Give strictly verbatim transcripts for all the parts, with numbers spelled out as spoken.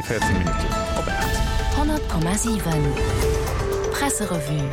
véierzéng Minutten op aacht. honnert Komma siwen Presserevue.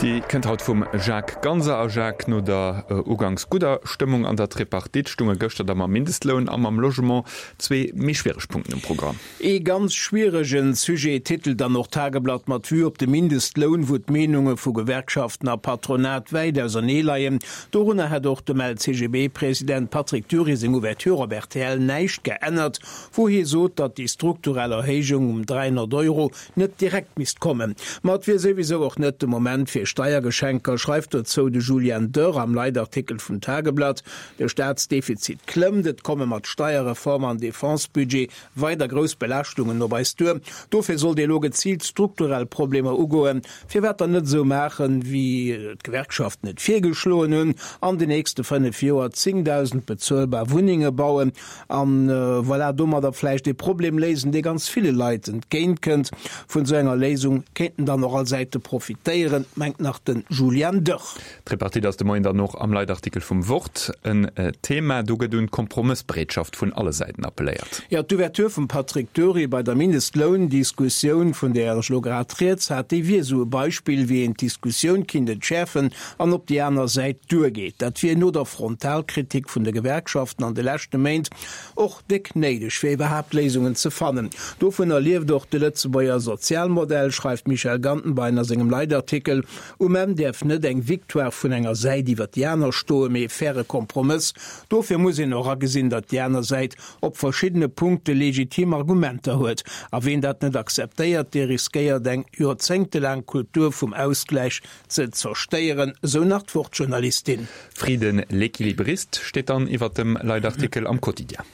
Déi kënnt haut vum Jacques Ganser. A Jacques, no der uganks gudder Stëmmung an der Tripartite stunge gëschter da mam Mindestloun a mam Logement zwee méi schwiereg Punkten um Programm. Ee ganz schwieregen Sujet, titelt dann och d'Tageblatt mat Vue op de Mindestloun, wou d'Meenunge vu Gewerkschaften a Patronat wäit ausernee leien. Dorunner hätt och dem L C G B-President Patrick Dury seng Ouverture op R T L näischt geännert, wou hie sot, datt déi strukturell Erhéijung um dräihonnert Euro net direkt misst kommen. Ma et wier souwisou och net de Moment fir Steiergeschenker, schreift dozou de Julian Dörr am Leitartikel vum Tageblatt. De Staatsdefizit klëmmt, et komme mat Steierreform an Defense-Budget weider grouss Belaaschtungen op eis duer. Dofir sollt ee lo geziilt strukturell Problemer ugoen. Firwat dann net esou maachen, wéi d'Gewerkschaften et virgeschloen hunn, an den nächste fënnef Joer zéngdausend bezuelbar Wunnenge bauen an voilà, domadder vläicht ee Problem léisen, dee ganz ville Leit entgéint kënnt. Vun esou enger Léisung kéinten dann och all Säite profitéieren, mengt nach de Julian Dörr. D'Tripartite ass de Moien dann och am Leitartikel vum Wort en Thema. Do gëtt un d'Kompromëssbereetschaft vun alle Säiten appelléiert. Jo, d'Ouverture vum Patrick Dury bei der Mindestloundiskussioun, vun där ech elo grad rieds hat, déi wier esou e Beispill, wéi een d'Diskussioun kinnt entschäerfen an op déi aner Säit duergeet. Dat wier no der Frontalkritik vun de Gewerkschaften an de leschte Méint och déck néideg, fir iwwerhaapt Léisungen ze fannen. Dovunner lieft och de Lëtzebuerger Sozialmodell, schreift d'Michèle Gantenbein a sengem Leitartikel. Um Enn däerf net eng Victoire vun enger Säit iwwer déi aner stoen, mee e faire Kompromëss. Dofir muss een och agesinn, datt déi aner Säit op verschiddene Punkte legitim Argumenter huet. A ween dat net akzeptéiert, dee riskéiert eng joerzéngtelaang Kultur vum Ausgläich ze zerstéieren, esou nach d'Wort-Journalistin. Frieden l'équilibriste steet dann iwwer dem Leitartikel am Quotidien.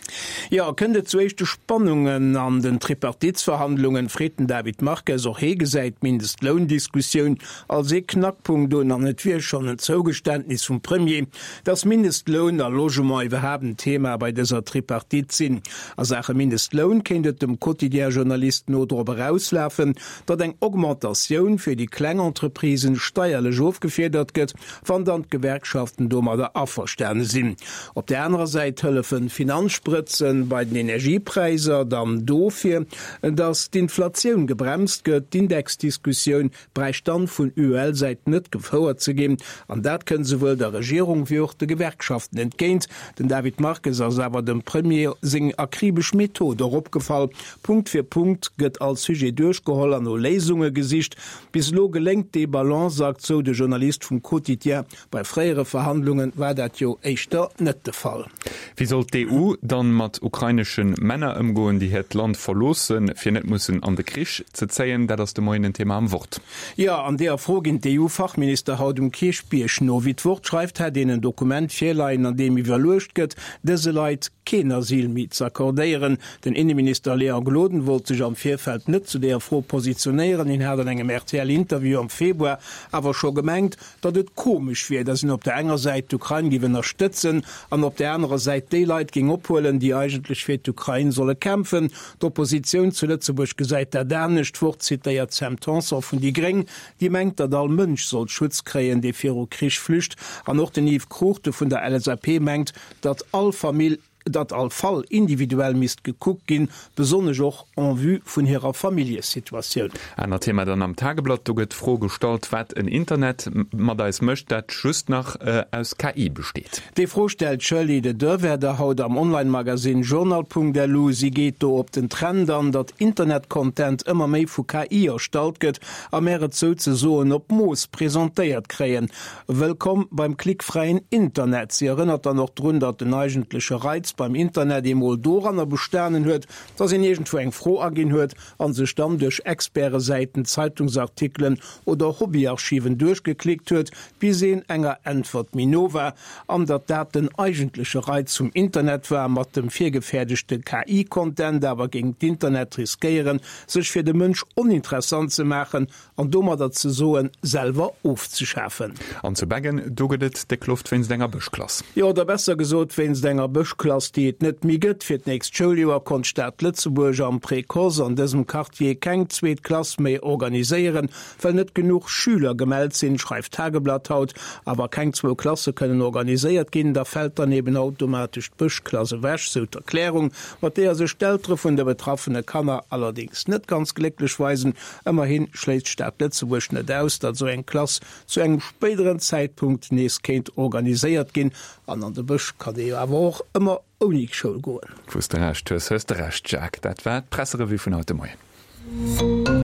Jo, kënnt et zu éischte Spannungen an den Tripartitsverhandlungen, freet den David Marques. Och hie gesäit d'Mindestloundiskussioun als ee Knackpunkt un an et wier schonn en Zougeständnis vum Premier, datt Mindestloun a Logement iwwerhaapt en Thema bei dëser Tripartite sinn. A Saache Mindestloun kéint et dem Quotidien-Journalist no drop erauslafen, datt eng Augmentatioun fir déi kleng Entreprisen steierlech ofgefiedert gëtt, wann dann d'Gewerkschaften domadder averstane sinn. Op där anerer Säit hëllefen Finanzsprëtzen bei den Energiepräisser dann dofir, datt d'Inflatioun gebremst gëtt. D'Indexdiskussioun bräicht dann vun U E L-Säit net gefouert ze ginn, an dat kënnt souwuel der Regierung wéi och de Gewerkschaften entgéint. Den David Marques ass awer dem Premier seng akribesch Method och opgefall, Punkt fir Punkt gëtt all Sujet duerchgeholl an no Léisunge gesicht. Bis elo geléngt dee Balanceakt, sou de Journalist vum Quotidien. Bei fréiere Verhandlunge war dat jo éischter net de Fall. Wéi soll d'E U dann mat ukrainesche Männer ëmgoen, déi hiert Land verloossen, fir net mussen an de Krich ze zéien? Dat ass de Moien en Thema am Wort. Jo, an deeër Fro ginn d'E U-Fachminister haut um Kierchbierg no. Wéi d'Wort schreift, hätt een en Dokument virleien, an deem iwwerluecht gëtt, dëse Leit keen Asyl méi z'accordéieren. Den Inneminister Léon Gloden wollt sech am Virfeld net zu deeër Fro positionéieren. Hien hat an engem R T L-Interview am Februar awer scho gemengt, datt et komesch wier, datt een op der enger Säit d'Ukrain géif ënnerstëtzen an op der anerer Säit déi Leit géing ophuelen, déi eigentlech fir d'Ukrain solle kämpfen. D'Oppositioun zu Lëtzebuerg gesäit dat anescht. D'Wort zitéiert d'Sam Tanson vun déi Gréng, déi mengt, datt all Mënsch sollt Schutz kréien, dee viru Krich flücht. An och den Yves Cruchten vun der L S A P mengt, datt all Famill, datt all Fall individuell misst gekuckt ginn, besonnesch och en vue vun hirer Familljesituatioun. Anert Thema dann am Tageblatt, do gëtt d'Fro gestallt, wat en Internet mat eis mécht, dat just nach aus K I besteet. Déi Fro stellt d'Shirley Dedeurwaerder haut am Online-Magasinn Journal Punkt L U. Si geet do op den Trend an, datt Internet-Content ëmmer méi vu K I erstallt gëtt a mär et souzesoen op Mooss presentéiert kréien. Wëllkomm beim klickfräien Internet. Si erënnert dann och drun, datt den eigentleche Reiz beim Internet emol doranner bestanen huet, datt een iergendwou eng Fro aginn huet a sech dann duerch Expertesäiten, Zeitungsartikelen oder Hobbyarchiven duerchgeklickt huet, bis een enger Äntwert méi no war, an datt dat den eigentleche Reiz vum Internet war. Mat dem virgefäerdegte K I-Content awer géing d'Internet riskéieren, sech fir de Mënsch oninteressant ze maachen an domadder ze soen selwer ofzeschafen. An zu Beggen, do gëtt et déck Loft wéinst enger Bëschklass. Jo, oder besser gesot wéinst enger Bëschklass. Bëschklass, déi et net méi gëtt. Fir d'nächst Schouljoer konnt d'Stad Lëtzebuerg am Précoce an dësem Quartier keng zweet Klass méi organiséieren, well net genuch Schüler gemellt sinn, schreift d'Tageblatt haut. A wa keng zwou Klasse kënnen organiséiert ginn, da fält dann eben automatesch d'Bëschklass ewech, sou d'Erklärung, mat deeër sech d'Eltere vun de betraffene Kanner allerdéngs net ganz glécklech weisen. Ëmmerhi schléisst d'Stad Lëtzebuerg net aus, datt esou eng Klass zu engem spéideren Zäitpunkt nees kéint organiséiert ginn. An an de Bësch kann ee jo awer och ëmmer ouni Schoul goen. Wou s de Recht hues, hues de Recht, Jacques. Dat war d'Presserevue vun haut de Moien.